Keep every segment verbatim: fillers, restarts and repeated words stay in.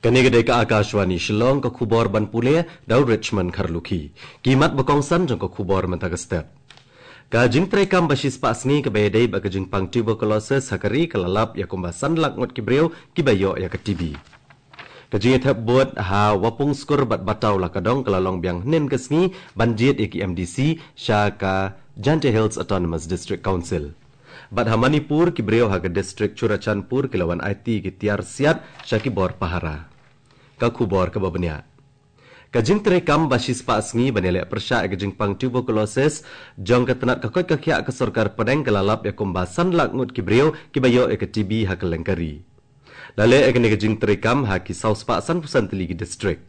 Kane ka dei ka Akashvani Shillong, ka khubor ban pule da u Richmond Kharlukhi. Ki mat ba kongsan jong ka khubor mynta ka step. Ka jingtreikam ba shispah sngi kaba ïadei bad ka jingpang tuberculosis ha ka ri ka la lap ïa kumba san lak ngut ki briew kiba ïoh ïa ka T B. Ka jingïathep vote ha Wapung Skur bad Bataw Lakadong ka la long biang hynnin ka sngi ban jied ïa ki M D C sha ka Jaintia Hills Autonomous District Council. Bad ha Manipur, ki briew ha ka district Churachandpur ki la wan aiti ki tiar siat sha ki bor pahara. Ka khubor kaba bniah. Ka jingtreikam ba shispah sngi ban ïaleh pyrshah ïa ka jingpang tuberculosis jong ka tnat ka koit ka khiah ka sorkar pdeng ka la lap ïa kumba san lak ngut ki briew kiba ïoh ïa ka T B ha kylleng ka ri. La leh ïa kane ka jingtreikam ha ki saw spah sanphew san tylli ki district.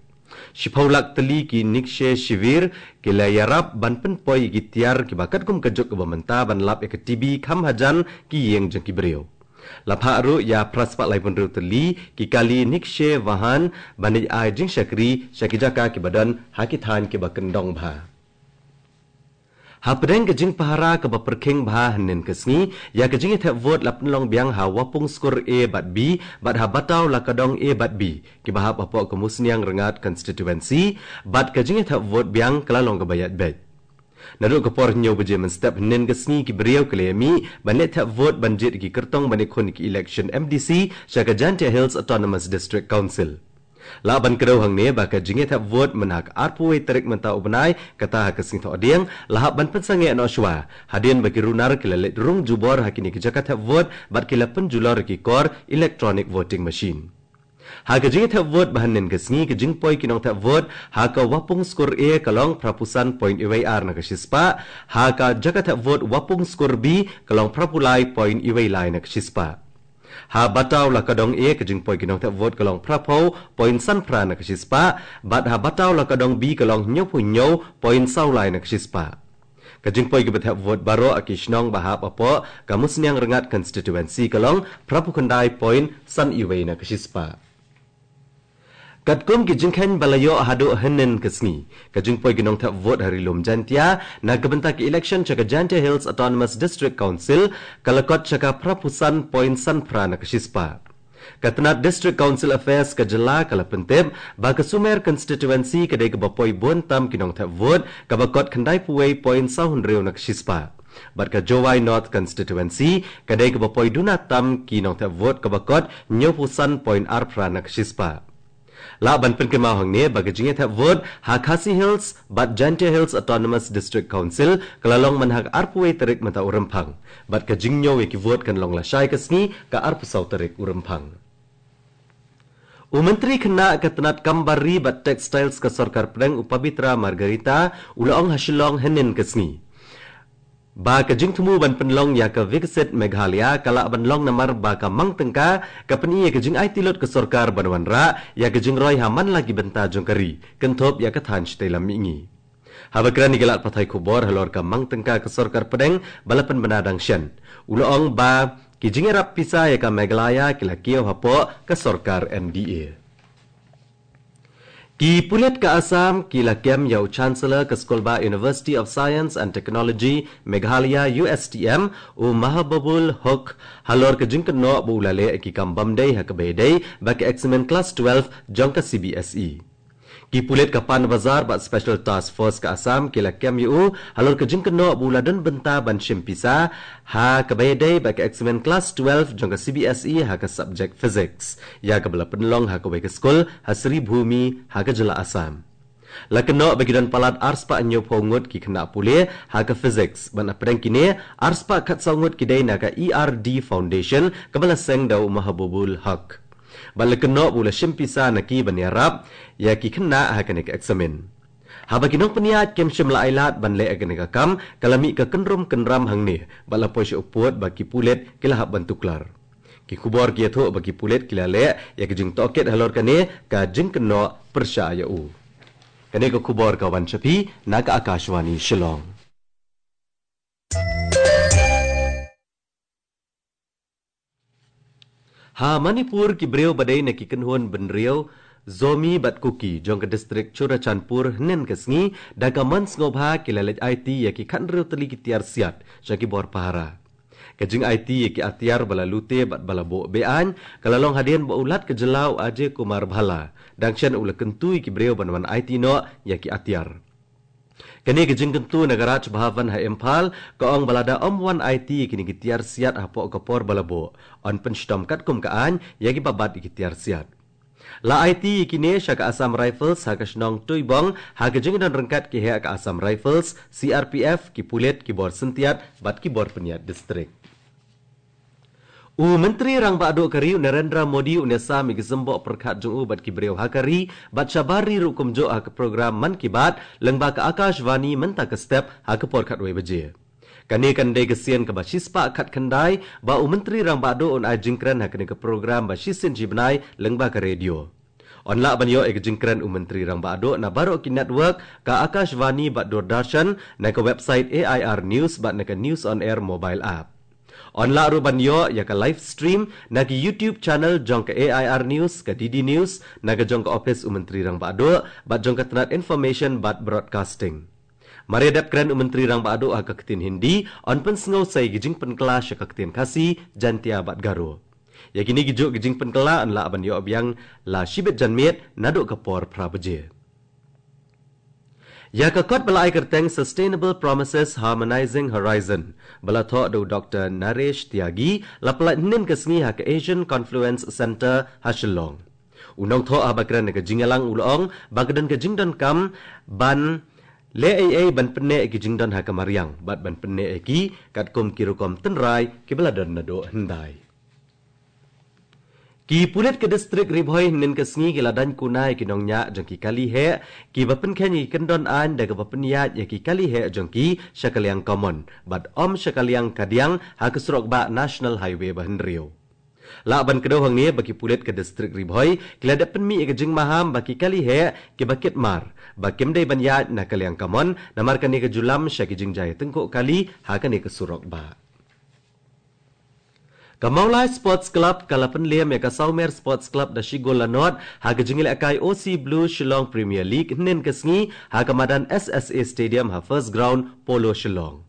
Shiphew lak tylli ki Nikshay Shivir ki la ïarap ban pynpoi ïa ki tiar kiba katkum ka juk kaba mynta ban lap ïa ka T B kham hajan ki ïing jong ki briew. La phah ruh ïa phra spah laiphew hynriew tylli ki kali Nikshay Vahan ban ïa ai jingshakri sha ki jaka kiba don ha ki thaiñ kiba kyndong bha. Hapdeng ka jingpahara kaba pyrkhing bha hynnin ka sngi ïa ka jingïathep vote la pynlong biang ha Wapung Skur A bad B bad ha Bataw Lakadong A bad B kiba hap hapoh ka Musniang Rngad constituency, bad ka jingïathep vote biang ka la long kaba ïaid beit. Naduh ka por hynñiew baje mynstep hynnin ka sngi ki briew ki la ïamih ban leit thep vote ban jied ïa ki kyrtong ban ïakhun ïa ki election M D C sha ka Jaintia Hills Autonomous District Council. Lah ban kdew hangne ba ka jingïathep vote mynha ka arphew wei tarik mynta u bnai, kata ha ka sngi Thohdieng, la hap ban pynsangeh noh shuwa hadien ba ki runar ki la leit rung jubor ha kine ki jaka thep vote bad ki la pynjulor ïa ki kor electronic voting machine. Ha ka jingïathep vote ba hynnin ka sngi, ka jingpoi ki nongthep vote ha ka Wapung Skur A ka long phraphew san point wei ar na ka shispah, ha ka jaka thep vote Wapung Skur B ka long phraphew lai point wei lai na ka shispah. Ha Bataw Lakadong A ka jingpoi ki nongthep vote ka long phraphew point san phra na ka shispah, bad ha Bataw Lakadong B ka long hynñiewphew hynñiew point saw lai na ka shispah. Ka jingpoi kiba thep vote baroh ha ki shnong ba hap hapoh ka Musniang Rngad constituency ka long phraphew khyndai point san wei na ka shispah. Katkum ki jingkheiñ ba la ïoh haduh hynnin ka sngi, ka jingpoi ki nongthep vote ha Ri Lum Jaintia na ka bynta ka election sha ka Jaintia Hills Autonomous District Council ka la kot sha ka phraphew san point san phra na ka shispah. Ka tnat District Council Affairs ka jylla ka la pyntip ba ka Sumer constituency ka dei kaba poi bun tam ki nongthep vote, kaba kot khyndaiphew wei point saw hynriew na ka shispah. Bad ka Jowai North constituency ka dei kaba poi duna tam ki nongthep vote, kaba kot hynñiewphew san point ar phra na ka shispah. Lah ban pynkynmaw hangne ba ka jingïathep vote ha Khasi Hills bad Jaintia Hills Autonomous District Council ka la long mynha ka arphew wei tarik mynta u Rymphang, bad ka jingñiew ïa ki vote kan long lashai ka sngi ka arphew saw tarik u Rymphang. U Myntri Khynnah ka tnat Kam Bar Ri bad Textiles ka Sorkar Pdeng, u Pabitra Margherita, u la ong ha Shillong hynnin ka sngi ba ka jingthmu ban pynlong ïa ka Viksit Meghalaya ka lah ban long namar ba ka mang tyngka ka pyni ïa ka jingaiti lut ka sorkar ban wanrah ïa ka jingroi ha man la ki bynta jong ka ri, kynthup ïa ka thaiñ shatei lam mihngi. Haba kren ïa ki lad pathai khubor halor ka mang tyngka ka Sorkar Pdeng ba la pynbna dang shen, u la ong ba ki jingïarap pisa ïa ka Meghalaya ki la kiew hapoh ka sorkar M D A. Ki pulit ka Assam ki la kem ïa u Chancellor ka Skulbah University of Science and Technology Meghalaya, U S T M, u Mahbubul Hoque, halor ka jingkynnoh ba u la leh ïa ki kam bymdei ha kaba ïadei bad ka eksamin klas twelve jong ka C B S E. Ki pulit ka Panbazar bad Special Task Force ka Assam ki la kem ïa u halor ka jingkynnoh ba u la don bynta ban shim pisa ha kaba ïadei bad ka eksamin klas twelve jong ka C B S E ha ka subject Physics, ïa kaba la pynlong ha kawei ka skul ha Sribhumi ha ka jylla Assam. La kynnoh ba ki don palat arspah hynñiewphew ngut ki khynnah pule ha ka Physics, bad napdeng kine arspah khatsaw ngut ki dei na ka E R D Foundation kaba la seng da u Mahbubul Hoque. Bad la kynnoh ba u la shim pisa na ki ban ïarap ïa ki khynnah ha kane ka eksamin. Haba ki nongpynïaid kim shym la ailad ban leh ïa kane ka kam, ka la mih ka kynrum kynram hangne bad la poi sha u pud ba ki pulit ki la hap ban tuklar. Ki khubor ki ïathuh ba ki pulit ki la leh ïa ka jingtohkit halor kane ka jingkynnoh pyrshah ïa u. Kane ka khubor ka wan sha phi na ka Akashvani Shillong. Ha Manipur, ki briew ba dei na ki kynhun bynriew Zomi bad Kuki jong ka distrik Churachandpur hynnin ka sngi da ka mon sngewbha ki la leit aiti ïa ki khathynriew tylli ki tiar siat sha ki bor pahara. Ka jingaiti ïa ki atiar ba la lute bad ba la buh be-aiñ ka la long hadien ba u Lat ka jylla u Ajay Kumar Bhalla dang shen u la kyntu ïa ki briew ban wan aiti noh ïa ki atiar. Kane ka jingkyntu na ka Raj Bhavan ha Imphal ka ong ba lada ym wan aiti ïa kine ki tiar siat hapoh ka por ba la buh, yn pynshitom katkum ka aiñ ïa kiba bat ïa ki tiar siat. La aiti ïa kine sha ka Assam Rifles ha ka shnong Tuibong ha ka jingdon ryngkat ki heh ka Assam Rifles, C R P F, ki pulit, ki bor syntiat bad ki bor pynïaid district. U Myntri Rangbah Duh ka ri u Narendra Modi un ïasam ïa ki symboh pyrkhat jong u bad ki briew ha ka ri bad shabar ri ruh kumjuh ha ka program Mann Ki Baat lyngba ka Akashvani mynta ka step ha ka por khatwei baje. Kane kan dei ka sien kaba shispah khatkhyndai ba u Myntri Rangbah Duh un ai jingkren ha kane ka program ba shisien shibnai lyngba ka radio. Yn lah ban ïoh ïa ka jingkren u Myntri Rangbah Duh na baroh ki network ka Akashvani bad Doordarshan, na ka website A I R News bad na ka News on Air mobile app. Yn lah ruh ban ïoh ïa ka live stream na ki YouTube channel jong ka A I R News, ka D D News, na ka jong ka ophis u Myntri Rangbah Duh bad jong ka tnat Information bad Broadcasting. Mar ïa dep kren u Myntri Rangbah Duh ha ka ktien Hindi, yn pynsngew sa ïa ki jingpynkylla sha ka ktien Khasi, Jaintia bad Garo. Ïa kine kijuh ki jingpynkylla yn lah ban ïoh biang la shibit janmiet naduh ka por phra baje. Ïa ka kot ba la ai kyrteng Sustainable Promises Harmonizing Horizon ba la thoh da u Doktor Naresh Tyagi la pyllait hynnin ka sngi ha ka Asian Confluence Centre ha Shillong. U nongthoh haba kren na ka jingïalang u la ong ba ka don ka jingdonkam ban leh ei ei ban pynneh ïa ki jingdon ha ka mariang bad ban pynneh ïa ki katkum ki rukom tynrai kiba la don naduh hyndai. Ki pulit ka distrik Ri Bhoi hynnin ka sngi ki la daiñ kuna ïa ki nongñiah jong ki kali heh kiba pynkheiñ ïa ki kyndon aiñ da kaba pynïaid ïa ki kali heh jong ki sha ka liang kamon bad ym sha ka liang kadiang ha ka surok bah National Highway ba hynriew. Lah ban kdew hangne ba ki pulit ka distrik Ri Bhoi ki la dep pynmih ïa ka jingmaham ba ki kali heh kiba kit mar ba kim dei ban ïaid na ka liang kamon namar kane ka ju lam sha ki jingjia tyngkhuh kali ha kane ka surok bah. Ka Mawlai Sports Club ka la pynlem ïa ka Sawmer Sports Club da shi gol la nod ha ka jingïalehkai O C Blue Shillong Premier League hynnin ka sngi ha ka madan S S A Stadium ha First Ground, Polo Shillong.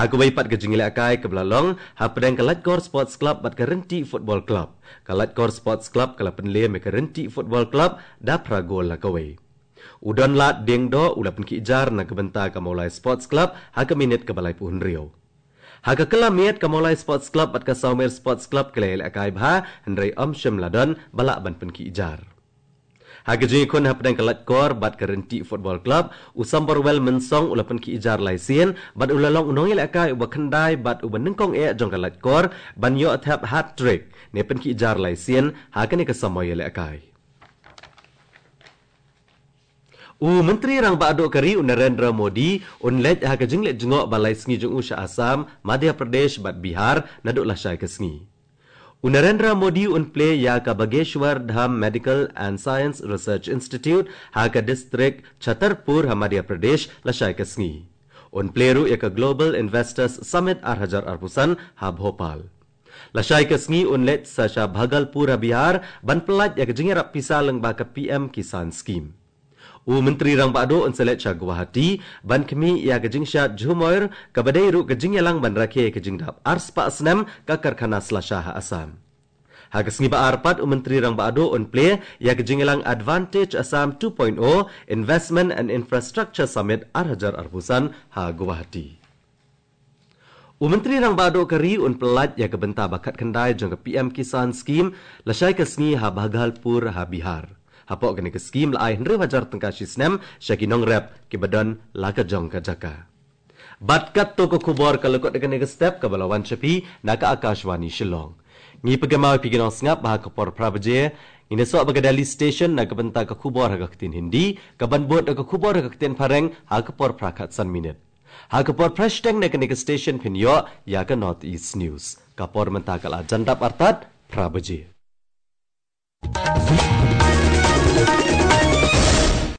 Ha kawei pat ka jingïalehkai kaba la long hapdeng ka Laitkor Sports Club bad ka Ryntih Football Club, ka Laitkor Sports Club ka la pynlem ïa ka Ryntih Football Club da phra gol la kawei. U Donlad Diengdoh u la pynkhih jar na ka bynta ka Mawlai Sports Club ha ka minit kaba laiphew hynriew. Ha ka kylla miet ka Mawlai Sports Club bad ka Sawmer Sports Club ki la ïalehkai bha hynrei ym shym la don ba lah ban pynkhih jar. Ha ka jingïakhun hapdeng ka Laitkor bad ka Ryntih Football Club, u Samborwell Mynsong u la pynkhih jar lai sien bad u la long u nongïalehkai uba khyndai bad uba nyngkong eh jong ka Laitkor ban ïoh thep hat-trick ne pynkhih jar lai sien ha kane ka samoi ïalehkai. U Myntri Rangbah Duh ka ri u Narendra Modi un leit ha ka jingleit jngoh ba lai sngi jong u sha Assam, Madhya Pradesh bad Bihar naduh lashai ka sngi. U Narendra Modi un plie ïa ka Bageshwar Dham Medical and Science Research Institute ha ka distrik Chhatarpur ha Madhya Pradesh lashai ka sngi. Un plie ruh ïa ka Global Investors Summit ar hajar arphew san ha Bhopal. Lashai ka sngi un leit sa sha Bhagalpur ha Bihar ban pyllait ïa ka jingïarap pisa lyngba ka P M Kisan Scheme. U Myntri Rangbah Duh un sa leit sha Guwahati ban khmih ïa ka jingshad Jhumoir kaba dei ruh ka jingïalang ban rakhe ïa ka jingdap arspah snem ka karkhana slasha ha Assam. Ha ka sngi ba ar pat u Myntri Rangbah Duh un plie ïa ka jingïalang Advantage Assam two point oh Investment and Infrastructure Summit ar hajar arphew san ha Guwahati. U Myntri Rangbah Duh ka ri un pyllait ïa ka bynta ba khatkhyndai jong ka P M Kisan Scheme lashai ka sngi ha Bhagalpur ha Bihar. Hapoh kane ka skhim la ai hynriew hajar tyngka shi snem sha ki nongrep kiba don la ka jong ka jaka. Bad katto ka khubor ka la kut da kane ka step kaba la wan sha phi na ka Akashvani Shillong. Ngi pynkynmaw ïa phi ki nongsngap ba ha ka por phra baje ngin ïasoh bad ka Delhi Station na ka bynta ka khubor ha ka ktien Hindi, kaban bud da ka khubor ha ka ktien Phareng ha ka por phra khatsan minit. Ha ka por phra shiteng na kane ka station phin ïoh ïa ka North East News. Ka por mynta ka la jan dap artat phra baje.